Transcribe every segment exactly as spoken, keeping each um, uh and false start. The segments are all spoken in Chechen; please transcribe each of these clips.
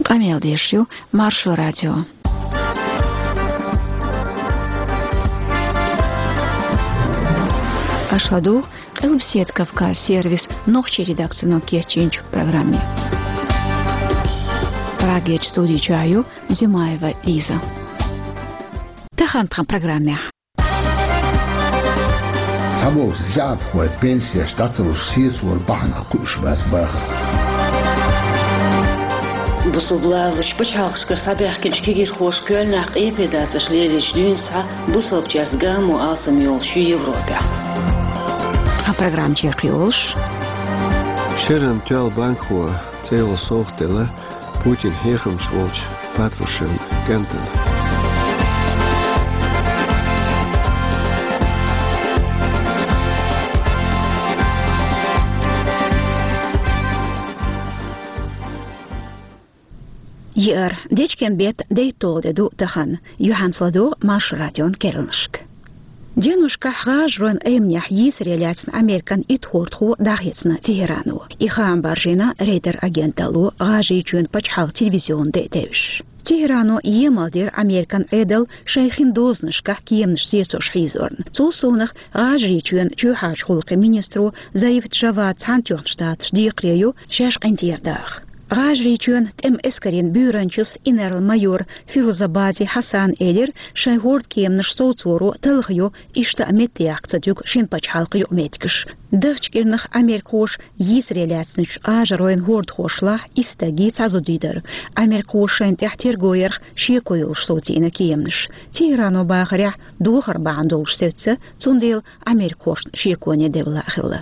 Къамел деш ю Маршо радио. Аша ладугӀу Къилбаседа Кавказ сервис нохчийн редакцино кечйинчу программе. Прагерчу студи чохь ю Зимаева Лиза. Тахана тхан программехь. Цхьаболчу заьӀапхойн пенсеш дӀа ца луш сецор бахьанах кхуьуш бац бахархой. Бусалба лазарчу пачхьалкхашкара схьабаьхкинчу кегирхоша Кёльнехь къепе дацарш лелийча дуьйна схьа бусалбачаьрца гамо алсам йолуш ю Европехь. Тхан программа чекхйолуш. Шеран тоьлла банкхо цӀе йолу совгӀат делла Путин хьехамча волчу Патрушевна кӀентана. Еара, дечкен беттан дейтталгӀа де ду тахана. Юьхьанца ладогӀа Маршо радион керланашка. Деношкахь гӀажаройн Айманехь йийсаре лаьцна Американ итт хӀордахо дӀахецна Тегерано. И хаам баржийна Рейтер агенталло ГӀажарийчоьнан пачхьалкхан телевизионна де а девзаш. Тегерано емал дира Американ Ӏедал шайн хин дозанашкахь кеманаш сецош хьийзорна. Цул совнаха ГӀажарийчоьнан чоьхьарчу гӀуллакхийн министро Зариф Джавад Цхьаьнатоьхначу Штаташна декхаре ю шаьш къинтӀера даха. ГӀажарийчоьнан тӀеман эскарийн буьйранчас инарла-майор Фирузабади Хьасана элира, шайн хӀордан кеманаш совцоро талхайо, иштта а меттаяккха ца туьгу шина пачхьалкхан юкъаметтигаш. Дахча кӀирнах америкахоша йийсаре лаьцначу гӀажаройн хӀордахошлахь исс стаге цхьа зуда дара. Америкахоша шайна тӀехь терго ярх шеко йолуш совцийна кеманаш. Тегерано бахарехь, дохар бахьана долуш севцца, цундела америкахошна шеконе девлла а хилла.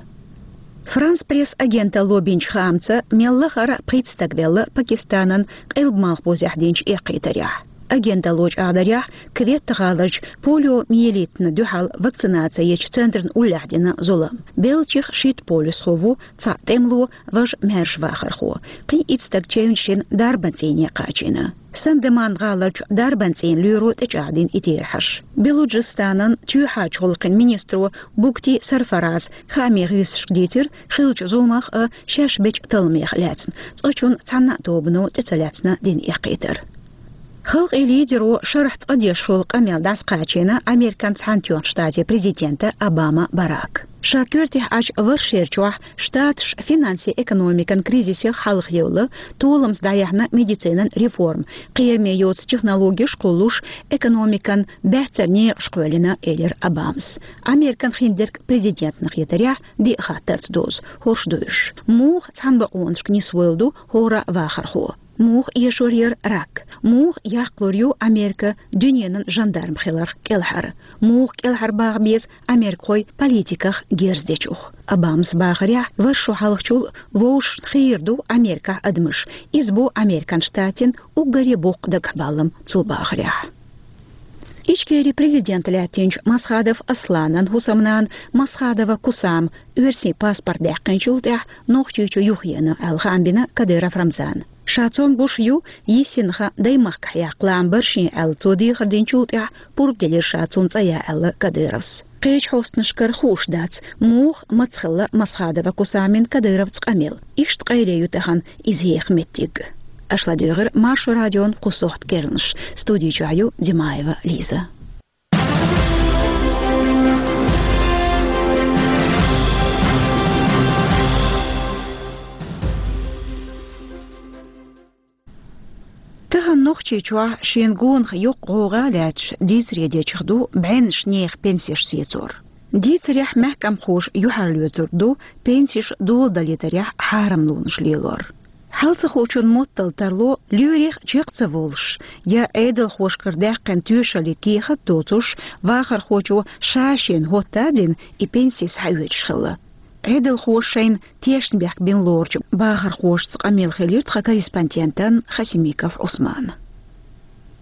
Франс Пресс агенталло бинчу хаамца, мел лахара пхийтта стаг велла Пакистанан къилба-малхбузехь динчу эккхийтарехь. Агенталло чӀагӀдарехь, Кветта гӀаларчу полиомиелитна дуьхьал вакцинаци ечу центрна уллехь дина зулам. Беллачех шийтта полисхо ву, цхьаъ тӀемало, важа маьрша вахархо. Кхин итт стаг чевнаш йина дарбан цӀийне кхачийна. Сан-де-Ман гӀаларчу дарбан цӀийнан лоьро тӀечӀагӀдина и терахьаш. Белуджистанан чоьхьарчу гӀуллакхийн министро Букти Сарфараз хаамийн гӀирсашка дийцира хиллачу зуламах а, шаьш бечу талламех а лаьцна. Цкъачунна цхьана а тобано тӀе ца лаьцна дина эккхийтар. Халкъийн лидеро шарахь цкъа деш хуьлу къамел дӀасакхачийна Американ Цхьаьнатоьхначу Штатийн президента Обама Барака. Ша коьртехь Ӏачу вархшерчохь Штаташ финансийн-экономикан кризисех хьалхаевлла, толамца дӀаяьхьна медицинан реформа, кхераме йоцу технологеш кхуллуш, экономикан баьццара некъаш кхоьллина, элира Обамас. Американ хиндерг президентна хетарехь, диъ хаттарца дозу, хӀорш ду уьш. Муха цхьана бакъонашка нисвойла ду хӀора а вахархо? Муха эшор яра рак? Муха яккхалур ю Америка дуьненан жандарм хиларх кӀелхьара? Муха кӀелхьарбаха беза америкахой политиках герз дечух? Обамас бахарехь, вархӀ шо хьалхачул вовшашна хийра ду Америкахь адамаш. Иза бу Американ Штатийн уггаре боккха дагахьбаллам цо бахарехь. Ичкерин президент лаьттинчу Масхадов Асланан хӀусамнана Масхадова Кусама оьрсийн паспорт даьккхинчул тӀаьхьа Нохчийчу юхаеана аьлла хаам бина Кадыров Рамзана. Ша цомгуш ю йисинха даймахкахь яккха лаам баршин аьлла цо дехар динчул тӀаьхьа пурба делира ша цунна цӀа ян аьлла Кадыровс. Кхечу хьостанашкара хууш дац, муха, маца хилла Масхадова Кусамин Кадыровца къамел. Иштта къайле ю тахана иза еха меттиг. Аша ладуьйгӀира Маршо радион кху сохьта керланаш. Студи чохь ю Димаева Лиза. Тахана Нохчийчохь шена гонах йоккха гӀовгӀа а лаьцча, дийцаре дечух ду бӀеннаш нехан пенсеш сецор. Дийцарехь мехкамхоша юьхьарлоьцур ду пенсеш доладалийтарехь хьарамлонаш лелор. Хьал ца хуучун моттал тарло лоьрах чекх ца волуш я Ӏедалхошкара даьккхина тоьшаллин кехат доцуш вахархочо ша шена хӀотта а дина и пенси схьаоьцуш хилла. Ӏедалхоша шайна тешнабехк бина лоручу бахархошца къамел хилира тхан корреспондентан Хасимиков Ӏусманан.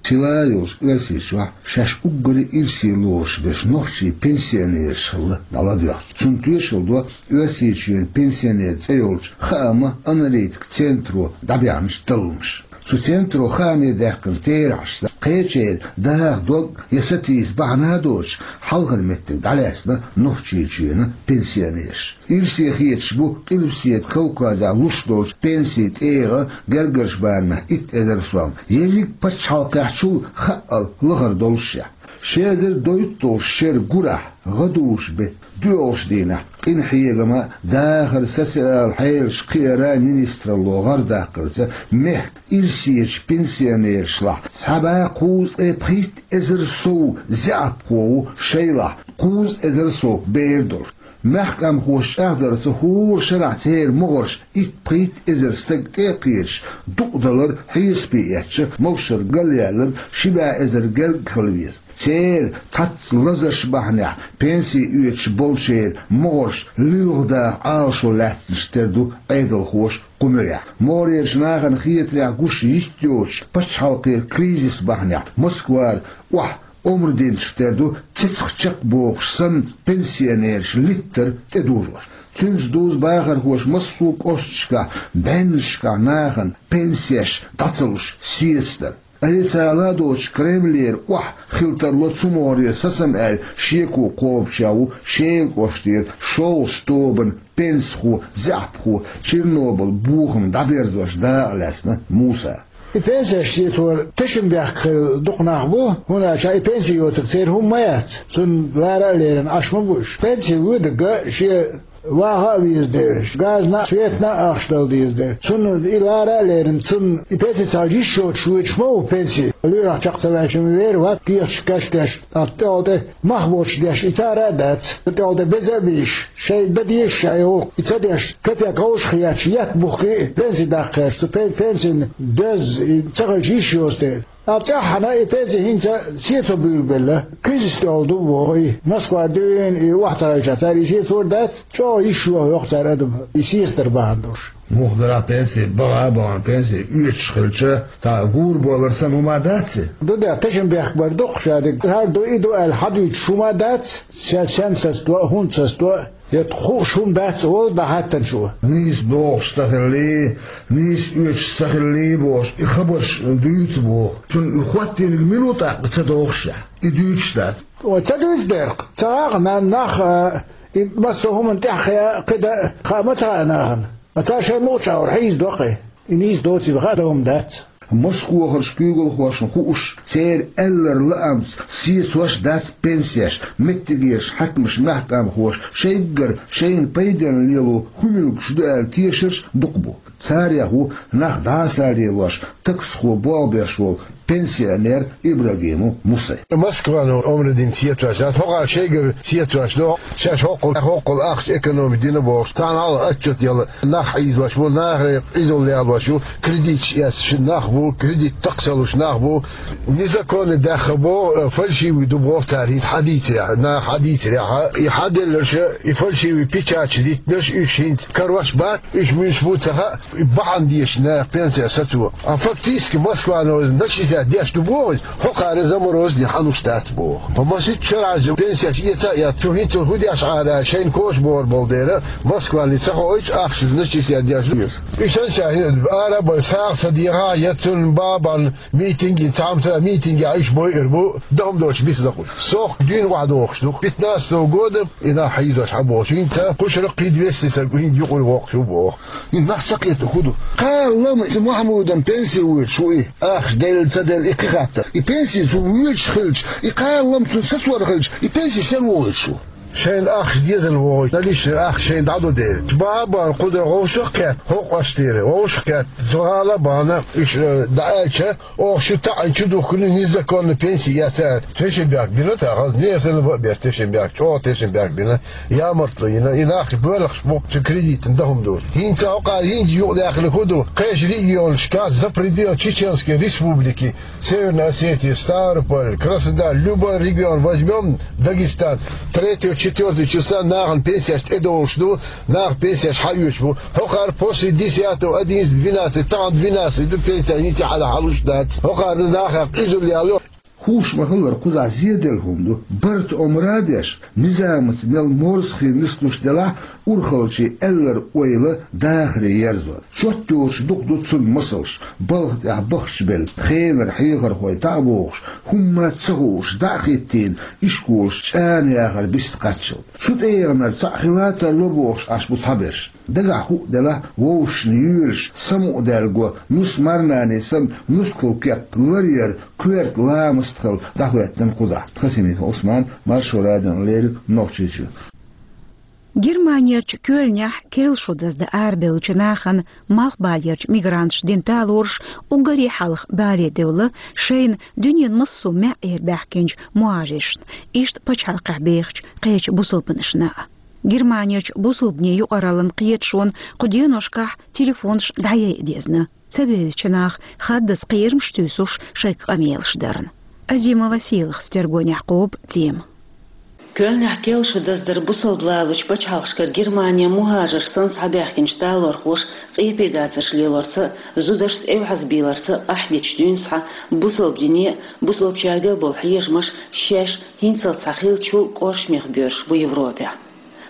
Сила йолчу Оьрсийчохь шаьш уггаре ирсе лоруш берш нохчийн пенсионераш хилла дӀаладоьгӀча. Цунна тоьшалла до Оьрсийчоьнан пенсионер цӀе йолчу хааман аналитикан центро дӀабаьхьначу талламаша. Цу центро хаамедаьккхина терахьашца, кхечеран даха дог я сатийса бахьана доцуш, хьалхара меттиг дӀалаьцна Нохчийчоьнан пенсионераш. Ирсе хеташ бу Къилбаседа Кавказехь луш долчу пенсийн тӀегӀа гергарчу барамехь итт эзар сом, ерриг а пачхьалкхехь чул хаъал лахара долушехь. Ши эзар дойтта долчу шеран гурахь, гӀадужу беттан доьалгӀачу дийнахь, къинхьегама, дахаран, социалан хьелаш кхиаран министралло гӀардаккхарца, мехкан ирсечу пенсионерашлахь цхьа бӀе кхузткъе пхийтта эзар сов заьӀапхо ву, шайлахь кхузткъа эзар сов бер долуш. Мехкан къаьмнашца чӀагӀдарца, хӀора шарахь церан могӀарш итт-пхийтта эзар стаг тӀе а кхеташ, дукъадалар хьесапе эцча, могашалла галъяьлларг ши бӀе эзар гергга хила веза. Церан цхьацца лазарш бахьанехь пенси оьцуш болчеран могӀарш лилха даха Ӏалашо лаьцнарш тера ду Ӏедалхоша кху муьрехь. МогӀарерчу нахана хетарехь, гуш йитта йоцуш пачхьалкхера кризис бахьанехь Москвара охьа омра динарш тера ду цецах чекхбохуш санна пенсионераш литтар тӀедужош. Цуьнца дузу бахархоша массо а кӀошташкахь, бӀеннашкахь нахана пенсеш дӀа ца луш сецадар. Официалан доцуш Кремлера охьа хила тарло цу могӀарера сацам аьлла шеко кхобучех ву Шелан кӀоштера шолгӀачу тобанан пенсихо, заьӀапхо, Чернобыль бохам дӀаберзош дакъа лаьцна Муса. И пенсеш сецор тешнабехк хилла дукха нах бу, хӀунда аьлча и пенси йоцург церан хӀума ма яц, цунна лара а лерина Ӏаш ма бу уьш. Пенси воьдург шен ваха а веза дела, газна а, светана а ахча дала деза дела. Цунна и лара а лерина, цунна и пенси ца хилча йиш йоцуш воьдуш ма ву пенси. Лоьрах чекх ца ваьлча ма вер вац, кехаташ кечдеш, тӀаккха тӀехула тӀе мах боцуш деш, и цара а дац, тӀехула тӀе беза а бийш, шайн дан дезаш шайн гӀуллакх, и ца деш, капек вовшах етташ, етта бухке а пенси даккха гӀерташ, цу пен-, пенсин доьзза и ца хилча йиш йоцу дела. Ткъа цӀеххьана и пенси хӀинца сецо буьйлабелла, кризис тӀехула ду боху и. Москвара дуьйна и охьа ца хилча, цара и сецор дац, чӀогӀа йиш йоху йоху цара адам, и сецадар бахьана долуш. Муха дара пенси, баха а бахана пенси оьцуш хилча, тӀаккха гур болар санна хӀума дац и? Ду де, тешнабехк бар дукха шадерг, хӀара ду, и ду аьлла хьадуьйцуш хӀума дац, сен, сен сацадо а, хӀунда сацадо а, я хууш хӀума дац олу дӀахаттанчо. Нийса догӀуш ца хилале, нийса оьцуш ца хилале бохуш, и хабарш дуьйцу боху. Цунна и хӀоттийнарг мила ву тӀаккха ца догӀуш шех? И дуьйцуш дац. Ой, ца дуьйцу дерг. Ца гӀахана нах, а, и массо а хӀуманна тӀаьхьа кхидӀа а хаа ма ца хаьа нахана. Ткъа цара шайн мукъачу агӀор хьийзадо-кх и. И нийса доций хаьа, дан хӀума дац. Москвахарчу куьйгалхошна хууш, церан аьлларан лаамца сецош дац пенсеш, меттигерчу хьаькамаша, мехкан къаьмнашца шайггара шайна пайденна лело хӀун муьлххачу ду аьлла тешарш дукха бу. Царех ву нах дӀасалелош, таксахо болх беш волу пенсионер Ибрагимов Муса. Москвано омра дина сецош дац, хӀокхара шайгара сецош ду, шаьш хӀоккхул, хӀоккхул ахча экономить дина бохуш, царна хьалха отчет яла нах хьийзош бу, нахе къизалла ялош ю, кредиташ эцна ши нах бу, кредит такха ца луш нах бу, незаконно даьхна бу, э, фальшивый ду боху цара, хӀинца хьадийцарехь, наха хьадийцарехь, и хьаделларш, и фальшивый печаташ диттинарш, уьш хӀинца карош бац, уьш муьлш бу ца хаьа, и бахьана дезаш наха пенсеш сацо. А фактически Москвано начислять деш ду боху, хӀокхара заморозить хьан луш дац боху. Масийтта шарахь пенсеш эца а эцна, цу хӀинца хӀун деш Ӏара шайна коча бохур болу дела, Москвани ца хоуьйтуш ахча начислять деш ду иза. Уьш санна ара а бай, сагӀа ца дехьа, я цунна бабан митинг, цхьамца митинге Ӏаш бойур бу, дан хӀума доцуш бицлакъуш. Сохка дуьйна охьадохуш ду. Пятнадцатого года и нах хьийзош хьан бохуш. ХӀинца кхушара кхин двести са хӀинца юкъара воккхуш ву боху. И нах ца кхетта хӀун ду? Кхаллам и Махьмудан пенси воьдуш ву и. Ахча делла, ца делла, и кхин хаттар. И пенси цу воьдуш хилча, и кхаллам цунна сацор хилча, и пенси сел вохуьйтуш ву? Шайна ахча дезал вохуьйту, наличный ахча шайна дӀадо дела. Бабан кху де вовшах а кхетта, хӀокху кӀоштера вовшах а кхетта, цу гӀала а бахана, уьш, э, дӀааьлча, оха шу таӀийна чу духкуна незаконно пенси эцна аьлла, тешнабехк бина тахана, нехан санна бан а беш тешнабехк, чӀогӀа тешнабехк бина, ямартло йина, и нах боьлхуш бу цу кредитан дан хӀума доцуш. ХӀинца хӀокхара хӀинца юкъадаьккхина хӀун ду, кхечу регионашкахь, за пределы Чеченской Республики, Северная Осетия, Ставрополь, Краснодар, любой регион возьмём, Дагестан, третьего, четвёртого числа нахана пенсеш тӀедогӀуш ду, наха пенсеш хьаоьцуш бу. ХӀокхара после десятого, одиннадцать, двенадцать, тахана двенадцать ду пенсеш, хӀинца хьалха хьалуш дац. ХӀокхара нахах къизалла яло. Хууш ма-хиллара, кхузахь зеделла хӀума ду. Барта омра а деш, низамаца мел морза хила нислуш делахь, урхаллачийн аьлларг, ойла, дахаре ерзор. Чот йоцуш дукха ду цунна масалш: балха тӀехь бахча белла, хенара хьехархой таӀа бохуш, хӀумма ца хууш, дӀа а хӀиттийна, ишколаш чӀана яхар бист кхаччалц. Цу тӀегӀанара цхьаъ хила тарло бохуш Ӏаш бу цхьаберш. Дагахь хӀуъа делахь, вовшашна йоьлуш, самукъадаьлла го, нус марнане санна, нускал кеп ларъяр, коьрта ламаст хилла дӀахӀоьттина кхузахь. Хасимиков Ӏусман, Маршо радиона леррина, Нохчийчоь. Германерчу Кёльнехь керла шо даздан арабевллачу нахана малхбалерчу мигранташа дина талораш уггаре хьалха бале девлла шайна дуьненан массо а маьӀӀера баьхкинчу мухӀажиршна, иштта пачхьалкхехь бехачу кхечу бусалбанашна а. Германерчу бусалбанийн юкъараллин кхеташонан кху деношкахь телефонаш дӀаяйа дезна, ца бевзачу наха хаддаза кхерамаш туьйсуш шайга къамелаш дарна. Азимова Сийлахас тергонехь кхобу тема. Кёльнехь керла шо даздар бусалба лалучу пачхьалкхашкара Германе мухӀажарш санна схьабаьхкинчу талорхоша къепедацарш лелорца а, зударшца эвхьазбийларца а къахьдечу дуьйна схьа бусалба дине а, бусалбачаьрга а болу хьежамаш шаьш хӀинццалц схьахиллачул кӀоршамех боьрзуш бу Европехь.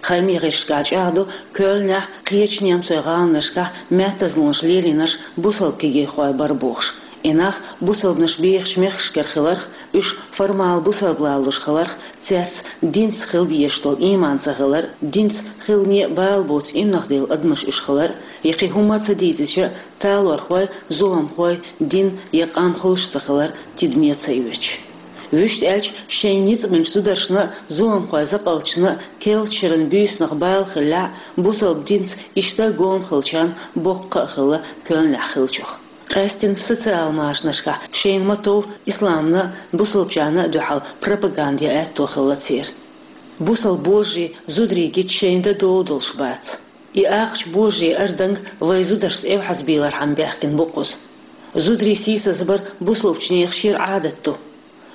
Хьалхарчу гӀирсашкахь чӀагӀдо, Кёльнехь, кхечу немцойн гӀаланашкахь маьттазлонаш лелийнарш бусалба кегийрхой бара бохуш. И нах бусалбанаш бехачу мехкашкара хиларх, уьш формал бусалба лалуш хиларх, цаьрца динца хила дезаш долу ийман ца хилар, динца хилане а бала боцу иманах девлла адамаш уьш хилар, я кхин хӀумма а ца дийцича, талорхой, зуламхой, дин я къам хуьлуш ца хилар тидаме ца оьцуш. Вуьшта аьлча, шайн ницкъ бинчу зударшна а, зуламхойн закъалташна а керла шеран буьйсанах бала хиллехь а, бусалба динца иштта а гома хиллачарна боккха а хилла Кёльнехь хиллачух. Къаьсттина социал машанашкахь шайна ма-тов исламна а, бусалбачарна а дуьхьал пропаганда ян аьтто хилла церан. Бусалба божарий зударий гича шайна дан дола долуш бац. И акхачу божарийн арданга вайн зударшца эвхьазбийлархьама баьхкина бу кхуза. Зударий сийсазбар бусалбачу нехан шира Ӏадат ду.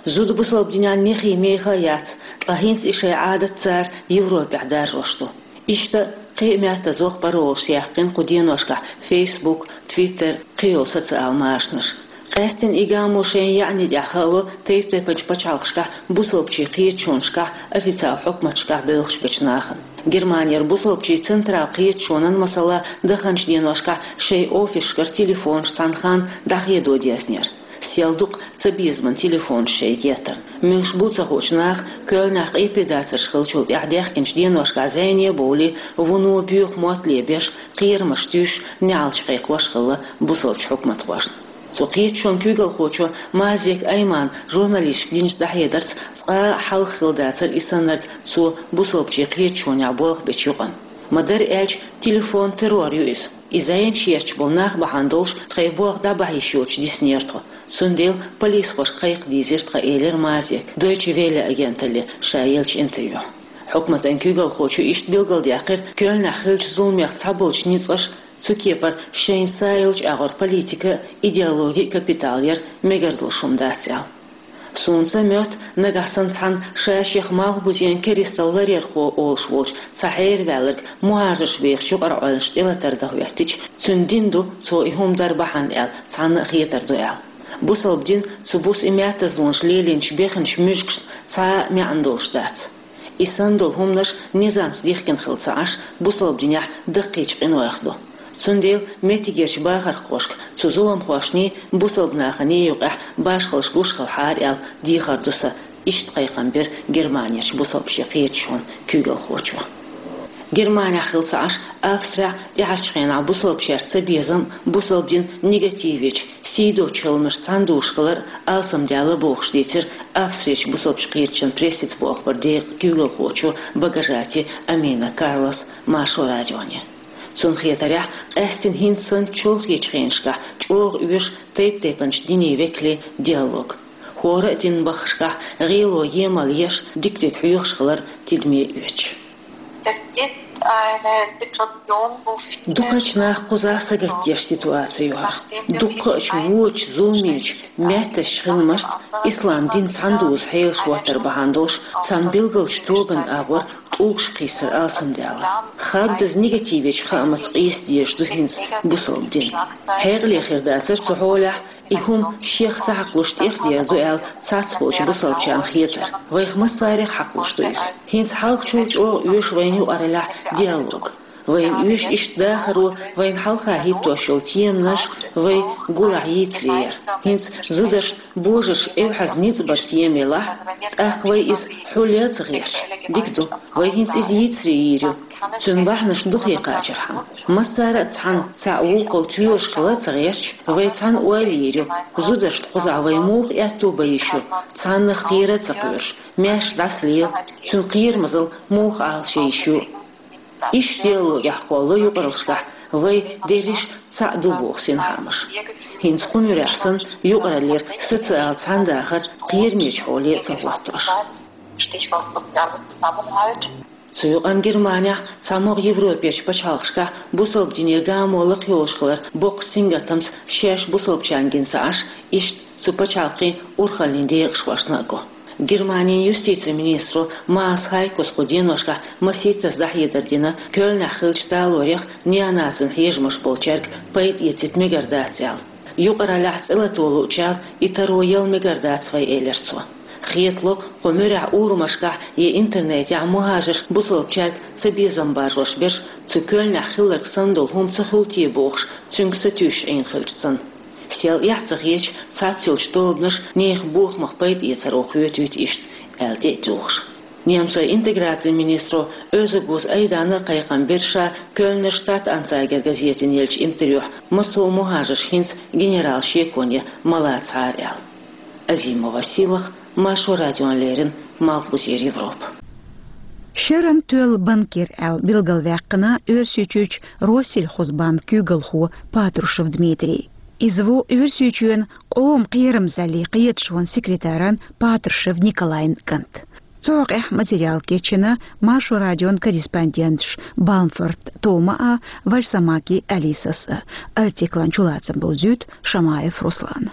Зуда бусалба динехь нехий меха а яц, ткъа хӀинца и шайн Ӏадат цара Европехь даржош ду. Иштта кхин а маьттазло паролаш яьккхина кху деношкахь Facebook, Twitter, кхин йолу социал машанаш. Къаьсттина и гамо шайна яьӀни тӀехь хаало тайп-тайпанчу пачхьалкхашкахь бусалбачийн кхеташонашкахь, официал хьукматашкахь боьлхуш бечу нахана. Германера бусалбачийн централ кхеташонан, масала, даханчу деношкахь шайн офисашкара телефонаш цхьана ханна дӀахедо дезнера. Сел ду-кх цабезаман телефонаш шайн геттарна. Муьлш бу ца хуучу наха Кёльнехь къепедацарш хиллачул тӀаьхьа даьхкинчу деношкахь зӀене а бовлий, вуно боьха мотт лебеш, кхерамаш туьйсуш, неӀалт кхайкхош хилла бусалбачу хьукматхошна. Цу кхеташонан куьйгалхочо Мазек Аймана журналисташка динчу дӀахьедарца, цкъа а хьалха хилла дацара и саннарг цо бусалбачийн кхеташонехь болх бечу юкъана. Ма-дарра аьлча, телефон-террор ю иза. И зӀене шаьш болу нах бахьана долуш тхайн болх дӀабахьа йиш йоцуш диснера тхо. Цундела полисхошка кхайкха дийзира тхан, элира Мазека Дойче Велле агенталле ша еллачу интервьюхь. Хьукматан куьйгалхочо иштта билгалдаьккхира, Кёльнехь хиллачу зуламех цхьаболчу ницкъаша цу кепара шайна са йолчу агӀор политика а, идеологи а капитал яр мегар долуш хӀума дац аьлла. Суна ца моьтту, нагахь санна цхьанна ша-шех малхбузенан керистал ларъярхо олуш волчу цхьа хьераваьлларг мухӀажарш бехачу юкъараллаш тӀелатар дан хӀоьттича, цуьнан дин ду цо и хӀума дар бахьана аьлла, цхьанна а хетар ду аьлла. Бусалба дин цу буса и маьттазлонаш лелийначу бехначу муьжгашна цхьа а маьӀна долуш дац. И санна долу хӀуманаш низамца дихкина хила ца Ӏаш, бусалба динехь даккхийчу къинойх ду. Цундела меттигерчу бахархошка цу зуламхошний, бусалба наханий юкъехь башхаллаш гуш хилахьара аьлла дехар ду сан, иштта кхайкхам бира Германерчу бусалбачийн кхеташонан куьйгалхочо. Германехь хила ца Ӏаш, Австрехь тӀаьхьарчу хенахь бусалбачаьрца цабезам а, бусалба дин негативечу, сий доцучу хӀуманаш цхьаьна дузуш хилар а алсамдаьлла бохуш дийцира Австрерчу бусалбачу кхеташонан прессица боху бара декъан куьйгалхочо Багажати Амина Карлос Маршо радионе. Цунна хетарехь, къаьсттина хӀинца санна чолхечу хенашкахь чӀогӀа оьшу тайп-тайпанчу динийн векалийн диалог. ХӀора а динан баххашкахь гӀело емал еш, дика-дика хьоьхуш хилар тидаме оьцуш. Дукхачу наха кхузахь сагатдеш ситуаци ю хӀара. Дуккха а чу вочу зуламечу маьттазчу хиламашца ислам дин цхьаьна дузу хьелаш хӀоттар бахьана долуш, цхьана билгалчу тоганан агӀор тӀулгаш кхийсар алсамдаьлла. Хаддаза негативечу хаамца къийса дезаш ду хӀинца бусалба дин. Хьекъале хир дацара цу хьолехь И хӀума шех ца хьакхалуш тӀехдер ду аьлла цхьаболчу бусалбачарна хетар. Вайх массарех хьакхалуш ду иза. ХӀинца хьалхачул чӀогӀа оьшу вайна юкъараллехь диалог. Вайна оьшу иштта дахаро вайна хьалха хӀиттош йолу теманаш вай гулахь йийцаре яр. ХӀинца зударшна божарша эвхьаза ницкъ бар тема елахь, тӀаккха вай иза хьулъян а ца гӀерташ. Дика ду, вай хӀинца иза йийцаре йийр ю. Цуьнан бахьанаш дукха кхачархьама. Массара а цхьаьна цхьаъ вукхул тоьлуш хила а ца гӀерташ, вай цхьаьна ойла йийр ю. Зударшна кхузахь вай муха аьтто бан йиш ю, цхьаннах кхера а ца кхоьруш, маьрша дӀасалела, цуьнан кхерамазалла муха Ӏалашъян йиш ю. Иштта диалогехь кхоллало юкъараллашкахь вай дерриш цхьаъ ду боху синхаамаш. ХӀинца кху муьрехь санна юкъараллера социал цхьаьнадахар кхерамечу хьоле а ца хӀоттош. Цу юкъанна Германехь цхьамогӀа Европерчу пачхьалкхашкахь бусалба дине гамо лакхайолуш хилар боккхачу сингаттамца шаьш бусалбачарна гина ца Ӏаш, иштта цу пачхьалкхийн урхаллин декъашхошна а го. Германин юстицин министро Маас Хайкос кху деношкахь масийттаза дӀахьедар дина Кёльнехь хиллачу талорех неонацийн хьежамаш болчаьрга пайда эцийта мегар дац аьлла. Юкъараллехь цӀе лато луучарна и таро яла мегар дац вай, элира цо. Хетало, кху муьрехь урамашкахь я интернетехь мухӀажарш бусалбачаьрга цабезам баржош берш цу Кёльнехь хилларг санна долу хӀума ца хуьлу те бохуш, цуьнга сатуьйсуш Ӏийна хилча санна. Сел эхь ца хеташ, цхьацца йолчу тобанаша нехан бохамах пайда эцаро хоьтуьйту иштта, аьлла тӀе а туьлхуш. Немцойн интеграцин министро Оьзебуз Айдана а кхайкхам бира ша Кёльнер Штат-Ансайгер газетана еллачу интервьюхь, массо а мухӀажарш хӀинца генерал шеконе ма лацахьара аьлла. Азимова Силах, Маршо радиона леррина, Малхбузера Европа. Шеран тоьлла банкир аьлла билгалваьккхина Оьрсийчуьрчу Россельхозбанк куьйгалхо Патрушев Дмитрий. Иза ву Оьрсийчоьнан къоман кхерамзаллин кхеташонан секретаран Патрушев Николайн кӀант. Цу хьокъехь материал кечйина Маршо радион корреспонденташ Бамфорт Тома а, Вальсамаки Алисас а. Артиклан чулацам бовзуьйту Шамаев Руслана.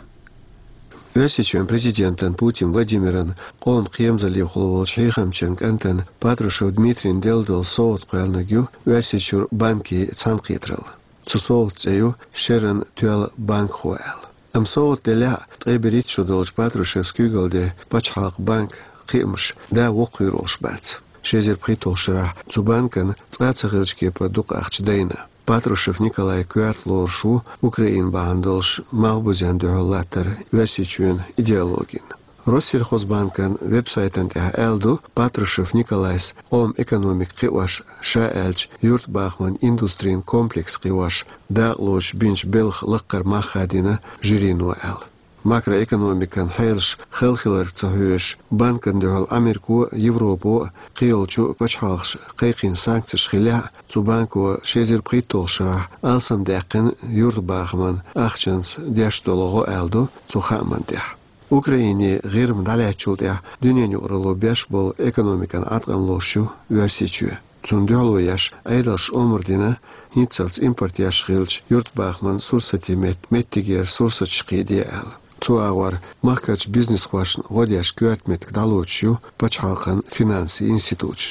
Оьрсийчоьнан президентан Путин Владимиран къоман кхерамзаллехула волчу хьехамчан кӀантана Патрушев Дмитрийна делла долу совгӀат кхоьллинарг ю Оьрсийчуьра банкийн цхьаьнакхетаралла. Цу совгӀатан цӀе ю «Шеран тоьлла банкхо» аьлла. Амма совгӀат деллехь а, ткъе берхӀитта шо долчу Патрушевс куьйгалде пачхьалкхан банкан кхиамаш да воккхавер волуш бац. Ши эзар пхийтталгӀачу шарахь цу банкана цкъа а ца хиллачу кепара дукха ахча дайна. Патрушев Николай коьрта лоруш ву Украина бахьана долуш Малхбузен дуьхьал латтар Оьрсийчоьнан идеологина. Россельхозбанкан веб-сайтана тӀехь аьлла ду, Патрушев Николайс къоман экономика кхиош, ша аьлча, юьртабахаман индустрин комплекс кхиош, дакъалоцуш бинчу белхан лаккхара мах хадийна жюрино аьлла. Макроэкономикан хьелаш хала хиларга ца хьоьжуш, банкана дуьхьал Америко а, Европо а, кхийолчу пачхьалкхаша кхайкхийна санкцеш хиллехь а, цу банко ши эзар пхийтталгӀачу шарахь алсамдаьккхина юьртабахаман ахчанца деш долу гӀо аьлла ду цу хааман тӀехь. Украине ГӀирма дӀалаьцначул тӀаьхьа дуьненан юкъаралло беш болу экономикан Ӏаткъам лоруш ю Оьрсийчоь. Цунна дуьхьало еш, Ӏедалша омра дина, хӀинццалц импорт еш хиллачу юьртабахаман сурсатийн метта меттигера сурсаташ кхийде аьлла. Цу агӀор махкарчу бизнесхошна гӀо деш коьрта меттиг дӀалоцуш ю пачхьалкхан финансийн институташ.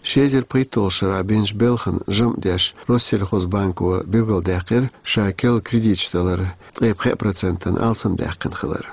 Ши эзар пхийтталгӀачу шарахь бинчу белхан жамӀ деш Россельхозбанко билгалдаьккхира ша керла кредиташ далар ткъе пхеа процентана алсамдаьккхина хилар.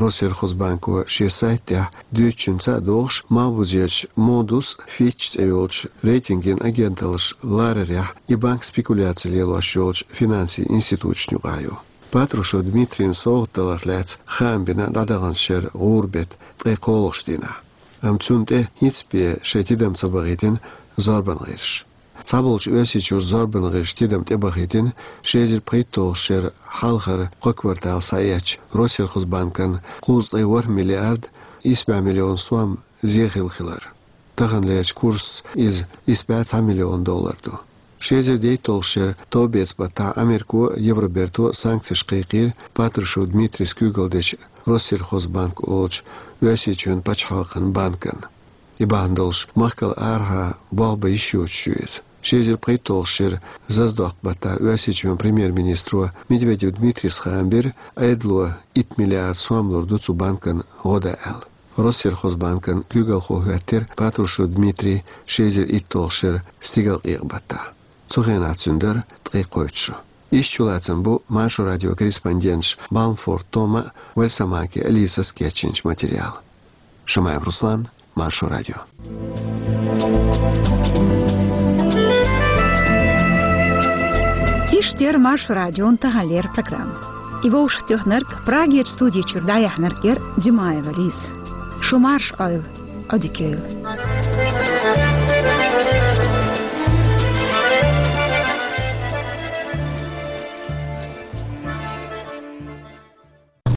Россельхозбанко шен сайта тӀехь дуьйцучуьнца а догӀуш, Малхбузерчу Moody's, Fitch цӀе йолчу рейтинган агенталлаш ларарехь и банк спекуляци лелош йолчу финансийн институташна юкъахь ю. Патрушев Дмитрийна совгӀат даларх лаьцна хаам бина дӀадаханчу шеран гӀуран беттан ткъе кхоалгӀачу дийнахь. Амма цунна тӀе хӀинцца бен шайн тидам ца бахийтина зорбан гӀирсаша. Цхьаболчу Оьрсийчуьра зорбан гӀирсаша тидам тӀебахийтина ши эзар пхийтталгӀачу шеран хьалхара кхо квартал схьаэцначу Россельхозбанкан кхузткъе ворхӀ миллиард исс бӀе миллион сом зе хилла хилар. Таханлерчу курсца иза исс бӀе цхьа миллион доллар ду. Ши эзар дейтталгӀачу шеран товбеца баттахь Америко а, Евроберто а санкцеш кхайкхийра Патрушев Дмитрийс куьйгалдечу Россельхозбанк олучу Оьрсийчоьнан пачхьалкхан банкана. И бахьана долуш махкал арахьа болх бан йиш йоцуш ю иза. Ши эзар пхийтталгӀачу шеран зазадоккху баттахь Оьрсийчоьнан премьер-министро Медведев Дмитрийс хаам бира, Ӏедало итт миллиард сом лур ду цу банкана гӀо дан аьлла. Россельхозбанкан куьйгалхо хӀоьттира Патрушев Дмитрий ши эзар итталгӀачу шеран стигалкъекъа баттахь. Цу хенахь цуьнан дара ткъе кхойтта шо. Иштта чулацам бу Маршо радион корреспонденташ Балмфорд Тома а, Вальсамаки Алисас а кечйинча материала. Шамаев Руслан, Маршо радио. Иштта яр Маршо радион таханлера программа. И вовшахтоьхнарг, Прагерча студи чура дӀаяьхьнарг яр Димаева Лиза. Шу марша Ӏойла, Ӏодика йойла.